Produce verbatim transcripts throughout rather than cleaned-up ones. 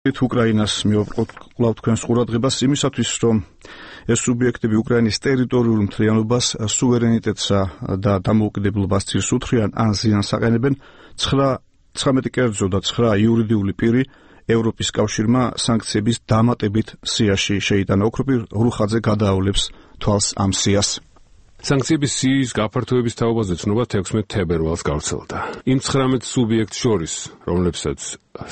უკრაინას მივაბრყოთ კვლავ თქვენს ყურადღებას იმისათვის, რომ ეს სუბიექტები უკრაინის ტერიტორიულ მთლიანობას, სუვერენიტეტსა და დამოუკიდებლობას ცირს უთხრიან ან ზიანს აყენებენ, ცხრამეტი კერძო და ცხრა იურიდიული პირი ევროპის კავშირმა სანქციების დამატებით სიაში შეიტანა. ოქროპირ რუხაძე გადაავლებს თვალს ამ სიას. სანქციების სიის გაფართოების თაობაზე ცნობა თექვსმეტ თებერვალს გავრცელდა. იმ ცხრამეტ სუბიექტს შორის, რომლებსაც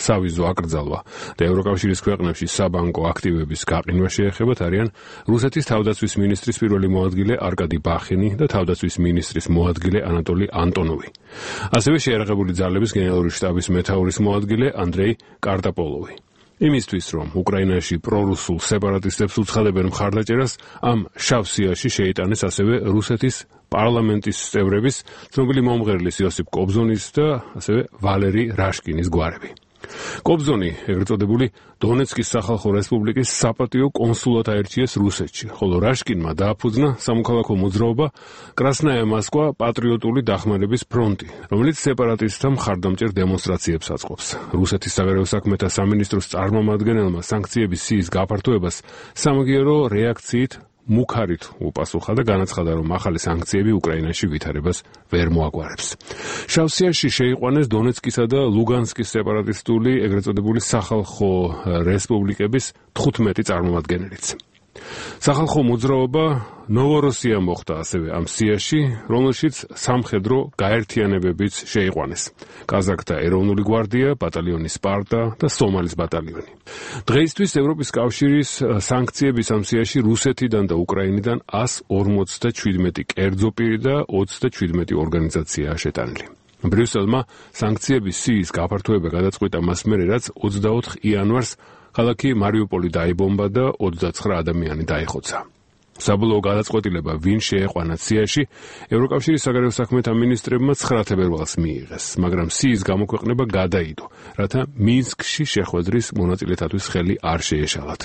სავიზო აკრძალვა და ევროკავშირის ქვეყნებში საბანკო აქტივების გაყინვა შეეხებათ, არიან რუსეთის თავდაცვის მინისტრის პირველი მოადგილე არკადი ბახინი და თავდაცვის მინისტრის მოადგილე ანატოლი ანტონოვი. ასევე შეიარაღებული ძალების გენერალური შტაბის მეთაურის მოადგილე ანდრეი კარტაპოლოვი. იმისთვის, რომ უკრაინაში პრორუსულ სეპარატისტებს უცხადებენ მხარდაჭერას, ამ შავ სიაში შეიტანეს ასევე რუსეთის პარლამენტის წევრების, ცნობილი მომღერლის იოსიფ კობზონის და ასევე ვალერი რაშკინის გვარები. კობზონი, ეგრეთ წოდებული დონეცკის სახალხო რესპუბლიკის საპატიო კონსულად აირჩიეს რუსეთში, ხოლო რაშკინმა დააფუძნა სამოქალაქო მოძრაობა კრასნაია მოსკვა პატრიოტული დახმარების ფრონტი, რომელიც სეპარატისტთა მხარდამჭერ დემონსტრაციებს აწყობს. რუსეთის საგარეო საქმეთა სამინისტროს წარმომადგენელმა სანქციების სიის გაფართოებას სამაგიერო რეაქციით მუქარით უპასუხა და განაცხადა, რომ ახალი სანქციები უკრაინაში ვითარებას ვერ მოაგვარებს. შავ სიაში შეიყვანეს დონეცკისა და ლუგანსკის სეპარატისტული, ეგრეთ წოდებული სახალხო რესპუბლიკების თხუთმეტი წარმომადგენელიც. სახალხო მოძრაობა ნოვოროსია მოხდა ასევე ამ სიაში, რომელშიც სამხედრო გაერთიანებებიც შეიყვანეს. კაზაკთა ეროვნული გვარდია, ბატალიონი სპარტა და სომალის ბატალიონი. დღეისთვის ევროპის კავშირის სანქციების ამ სიაში რუსეთიდან და უკრაინიდან ასი ორმოცდაშვიდმეტი კერძო პირი და ოცდაშვიდმეტი ორგანიზაციაა შეტანილი. ბრიუსელმა სანქციების სიის გაფართოება გადაწყვიტა მას მერე, რაც ოცდაოთხ იანვარს ქალაქი მარიუპოლი დაიბომბა და ოცდაცხრა ადამიანი დაიხოცა. საბოლოო გადაწყვეტილება ვინ შეეყვანა სიაში, ევროკავშირის საგარეო საქმეთა მინისტრებმა ცხრა თებერვალს მიიღეს, მაგრამ სიის გამოქვეყნება გადაიდო, რათა მინსკში შეხვედრის მონაწილეთათვის ხელი არ შეეშალათ.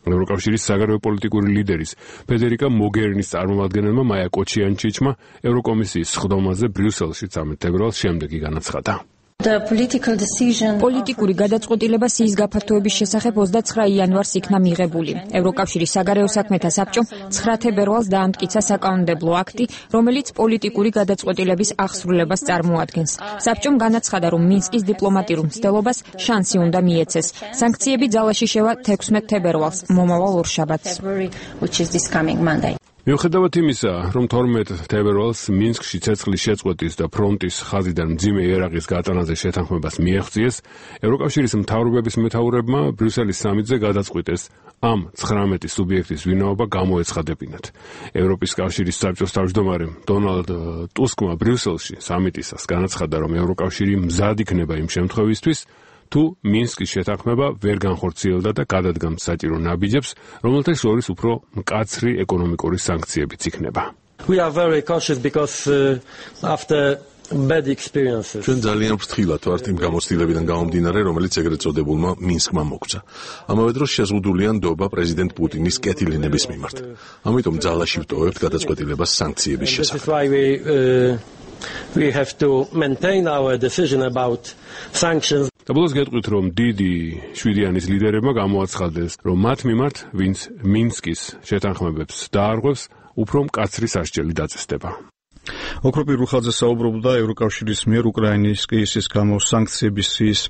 ევროკავშირის საგარეო პოლიტიკური ლიდერის ფედერიკა მოგერინის წარმომადგენელმა მაია კოჩიანჩიჩმა ევროკომისიის სხდომაზე ბრიუსელში ცამეტ თებერვალს შემდეგი განაცხადა. პოლიტიკური გადაწყვეტილება სიის გაფართოების შესახებ ოცდაცხრა იანვარს იქნა მიღებული. ევროკავშირის საგარეო საქმეთა საბჭომ ცხრა თებერვალს დაამტკიცა საკანონმდებლო აქტი, რომელიც პოლიტიკური გადაწყვეტილების აღსრულებას წარმოადგენს. საბჭომ განაცხადა, რომ მინსკის დიპლომატიურ მცდელობას შანსი უნდა მიეცეს. სანქციები ძალაში შევა თექვსმეტ თებერვალს, მომავალ ორშაბათს. მიუხედავად იმისა, რომ თორმეტ თებერვალს მინსკში ცეცხლის შეწყვეტის და ფრონტის ხაზიდან მძიმე იარაღის გატანაზე შეთანხმებას მიაღწიეს, ევროკავშირის მთავრობების მეთაურებმა ბრიუსელის სამიტზე გადაწყვიტეს ამ ცხრამეტი სუბიექტის ვინაობა გამოეცხადებინათ. ევროპის კავშირის საბჭოს თავმჯდომარემ დონალდ ტუსკმა ბრიუსელში სამიტისას განაცხადა, რომ ევროკავშირი მზად იქნება იმ შემთხვევისთვის, თუ მინსკის შეთანხმება ვერ განხორციელდა და გადადგამს საჭირო ნაბიჯებს, რომელთა შორის უფრო მკაცრი ეკონომიკური სანქციებიც იქნება. ჩვენ ძალიან ფრთხილად ვართ იმ გამოცდილებიდან გამომდინარე, რომელიც ეგრეთ წოდებულმა მინსკმა მოგცა. ამავე დროს შეზღუდულია ნდობა პრეზიდენტ პუტინის კეთილინების მიმართ. ამიტომ ძალაში ვტოვებთ გადაწყვეტილებას სანქციების შესახებ. We have to maintain our decision about sanctions. Საბოლოოდ გეტყვით, რომ დიდი შვიდიანის ლიდერებმა გამოაცხადეს, რომ მათ მიმართ, ვინც მინსკის შეთანხმებებს დაარღვევს, უფრო მკაცრი სასჯელი დაწესდება. ოქროპირ რუხაძე საუბრობდა ევროკავშირის მიერ უკრაინის კრიზისის გამო სანქციების სიის